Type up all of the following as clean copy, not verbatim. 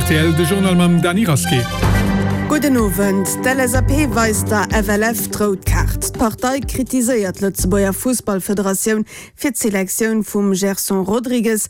rtl, de Journal mam Dany Rasqué. Gudden Owend. D'LSAP weist der FLF d'rout Kaart. D'Partei kritiséiert d'Lëtzebuerger Fussballfederatioun fir d'Selektioun vum Gerson Rodrigues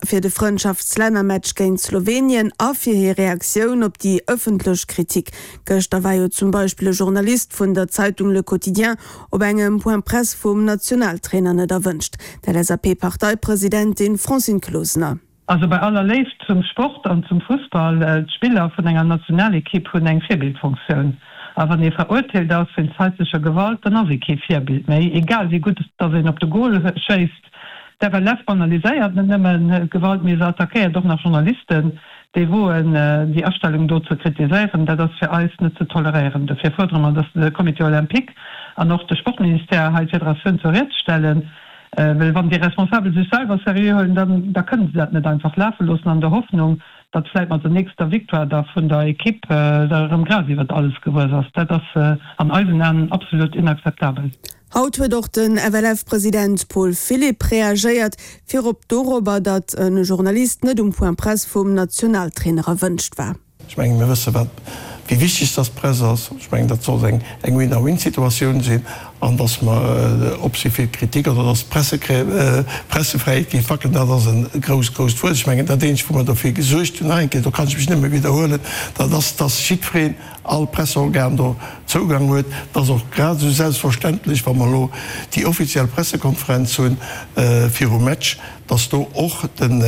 fir de Frëndschaftslännermatch géint Slowenien a fir hir Reaktioun op déi ëffentlech Kritik. Gëschter war jo zum Beispill e Journalist vun der Zeitung Le Quotidien op engem Point Presse vum Nationaltrainer net erwënscht. D'LSAP-Parteipresidentin Francine Closener. Also bei aller Léift zum Sport an zum Fussball, d'Spiller vun enger Nationalekipp hunn eng Virbildfunktioun. A wann ee verurteelt ass wéinst haislecher Gewalt, dann ass ee kee Virbild méi, egal wéi gutt dass een op de Gol schéisst. D'FLF banaliséiert net nëmmen d'Gewalt, mee se attackéiert och nach Journalisten, déi woen, déi Astellung do ze kritiséieren. Dat ass fir eis net ze toleréieren. Dofir fuerdere mer, dass de Comité olympique an och de Sportministère hei d'Federatioun zur Ried stellen. Well wann déi Responsabel sech selwer seriö huelen, dann da kënnen se dat net einfach lafe loossen an der Hoffnung, datt vläit mat der nächster Victoire da vun der Equipe da erëm Gras iwwert alles gewuess ass. Dat ass an eisen Aen absolut inakzeptabel. Haut huet och den FLF-President Paul Philipp reagéiert, virop dorobber, datt e Journalist net um Point Presse vum Nationaltrainer erwënscht war. Ech mengen, mir wësse wat, wéi wichteg dass d'Press ass. Ech mengen, dat sollt eng eng Win-a-win-Situatioun sinn an dass mer op si fir d'Kritik oder dass d'Pressefräiheet géif wackelen, dat ass e grousst, grousst Wuert. Ech mengen, dat eenzegt, wou mer dofir gesuergt hunn, nach eng Kéier, do kann ech mech nëmme widderhuelen, dat ass, dass jiddwereen, all Presseorgan do Zougang huet. Dat ass och grad esou selbstverständlech, wa mer elo déi offiziell Pressekonferenz hunn virum Match, dass do och den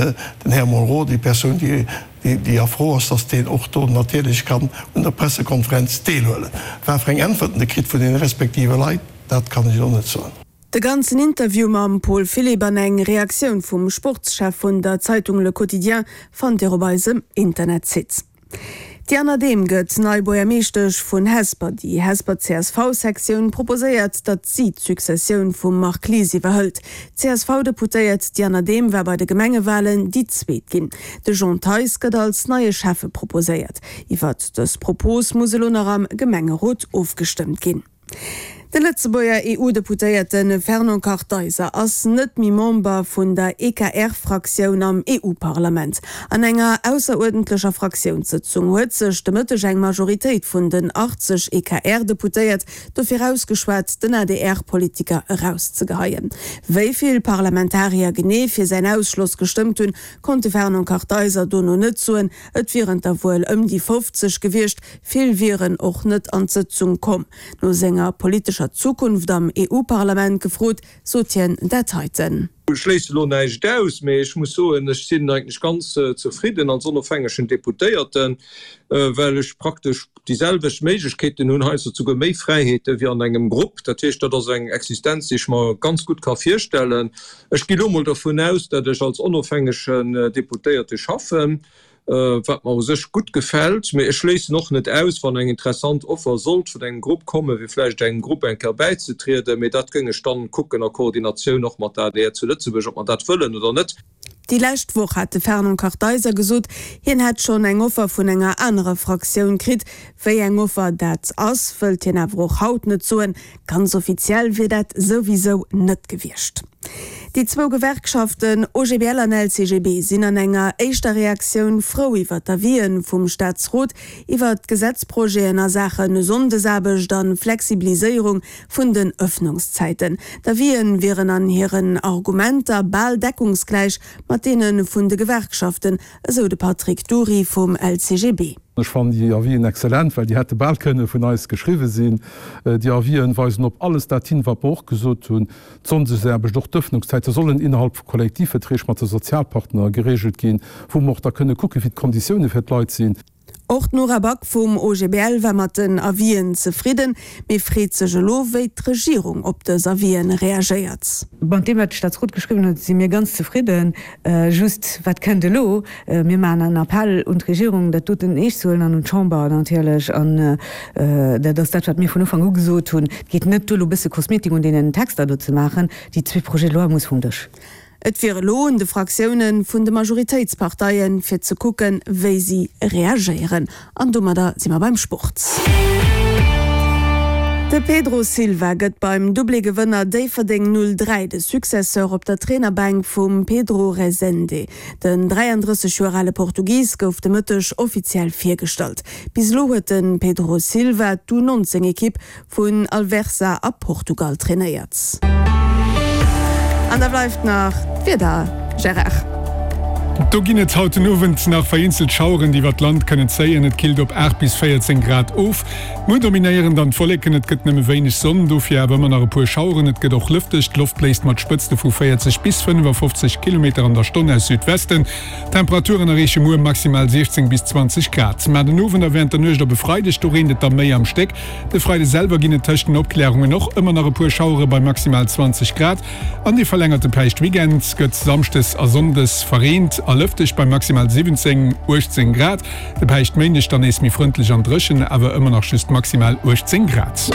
Här Monroe, déi Persoun, déi déi a Fro ass, dass deen och do natierlech kann un der Pressekonferenz deelhuelen. Wat fir eng Äntwerten e kritt vun deene respektive Leit, dat kann ech elo net soen. De ganzen Interview mam Paul Philipp an eng Reaktioun vum Sportschef vun der Zeitung Le Quotidien fannt Dir op eisem Internetsite. D'Diana Dehm gëtt nei Buergermeeschtesch vun Hesper. Déi Hesper CSV-Sektioun proposéiert, datt si d'Successioun vum Marc Lies iwwerhëlt. D'CSV-Deputéiert Diana Dehm war bei de Gemengewalen déi zweet ginn. De Jean Theis gëtt als neie Schäffe proposéiert. Iwwert dës Propos muss elo nach am Gemengerot ofgestëmmt ginn. De Lëtzebuerger EU-Deputéierte Fernand Kartheiser ass net méi Member vun der EKR-Fraktioun am EU-Parlament. An enger ausseruerdentlecher Fraktiounssëtzung huet sech de Mëtteg eng Majoritéit vun den 80 EKR-Deputéiert dofir ausgeschwat, den ADR-Politiker erauszegeheien. Wéi vill Parlamentarier genee fir säin Ausschloss gestëmmt hunn, konnt de Fernand Kartheiser dono net soen. Et wieren der wuel ëm déi 50 gewiescht, Vill wieren och net an d'Sëtzung komm. No senger politescher Zukunft am EU-Parlament gefrot, sot hien dat heiten. Ech schléisse lo näischt aus, mee ech muss soen, ech sinn eigentlech ganz zefridden als onofhängegen Deputéierten, well ech praktesch déi selwecht Méiglechkeeten hunn, heiansdo souguer méi Fräiheete wéi an engem Grupp. Dat heescht, dat ass eng Existenz, déi ech mer ganz gutt ka virstellen. Ech gi lo mol dervun aus, datt ech als onofhängegen Deputéierte schaffen. wat mer u sech gutt gefält, mee ech schléissen och net aus, wann eng interessant Offer sollt vun engem Grupp kommen, fir vläicht engem Grupp eng Kéier bäizetrieden, mee dat géing ech dann kucken a Koordinatioun och mat der adr zu Lëtzebuerg, ob mer dat wëllen oder net. Déi lescht Woch hat de Fernand Kartheiser gesot, hien hätt schonn eng Offer vun enger anerer Fraktioun kritt. Wéi eng Offer dat ass, wëllt hien awer och haut net soen. Ganz offiziell wier dat souwisou net gewiescht. Déi zwou Gewerkschaften OGBL an LCGB sinn an enger éischter Reaktioun frou iwwer d'Avisen vum Staatsrot iwwer d'Gesetzprojeten a Saache Sonndesaarbecht a Flexibiliséierung vun den Ëffnungszäiten. D'Avisen wieren an hiren Argumenter bal deckungsgläich mat deene vun de Gewerkschaften, esou de Patrick Dury vum LCGB. Ech fannen déi Avisen excellent, well déi hätte bal kënne vun eis geschriwwe sinn. Déi Avisen weisen op alles dat hin, wat mer och gesot hunn, D'Sonndesaarbecht, och d'Ëffnungszäite sollen innerhalb vu Kollektivverträg mat de Sozialpartner geregelt ginn, wou mer och da kënne kucken, wéi d'Konditioune fir d'Leit sinn. Och d'Nora Back vum OGBL war mat den Avisen zefridden, mee freet sech elo, wéi d'Regierung op dës Avisen reagéiert. Mat deem, wat de Staatsrot geschriwwen huet, si mir ganz zefridden. Just, wat kënnt elo? Mir maachen en Appell un d'Regierung, dat doten eescht ze huelen an un d'Chamber natierlech. An dat ass dat, wat mir vun Ufank u gesot hunn. Et geet net duer, elo e bësse Kosmetik un deenen Texter do ze maachen. Déi zwee Projets de loi muss vum Dësch. Et wier elo un de Fraktioune vun de Majoritéitsparteien, fir ze kucken, wéi si reagéieren. An domadder si mer beim Sport. De Pedro Silva gëtt beim Doublé-Gewënner Déifferdeng 03 de Successeur op der Trainerbänk vum Pedro Rezende. Den 33 Joer ale Portugis gouf de Mëtteg offiziell virgestallt. Bis elo huet de Pedro Silva d'U 19 Ekipp vun Alverca a Portugal trainéiert. An da bleift nach d'Wieder, Gérard. Do ginn et haut den Owend nach vereenzelt Schaueren, déi iwwer d'Land kënnen zéien. Et killt op 8 bis 14 Grad of. Muer dominéieren dann d'Wolleken, et gëtt nëmme wéineg Sonn, dofir awer ëmmer nach e puer Schaueren. Et gëtt och lëfteg, d'Loft bléist mat Spëtzte vu 40 bis 55 Kilometer an der Stonn aus Südwesten. D'Temperaturen erreeche muer maximal 16 bis 20 Grad. Mä den Owend a wärend der Nuecht op e Freideg, do reent et da méi am Stéck. De Freide selwer ginn et tëscht den Opklärungen och ëmmer nach e puer Schauere bei maximal 20 Grad. An dee verlängerte Päischtweekend gëtt samschdes a sonndes verreent a lëfteg bei maximal 17, 18 Grad. De Päischtméindeg dann nees méi frëndlech an dréchen, awer ëmmer nach just maximal 18 Grad.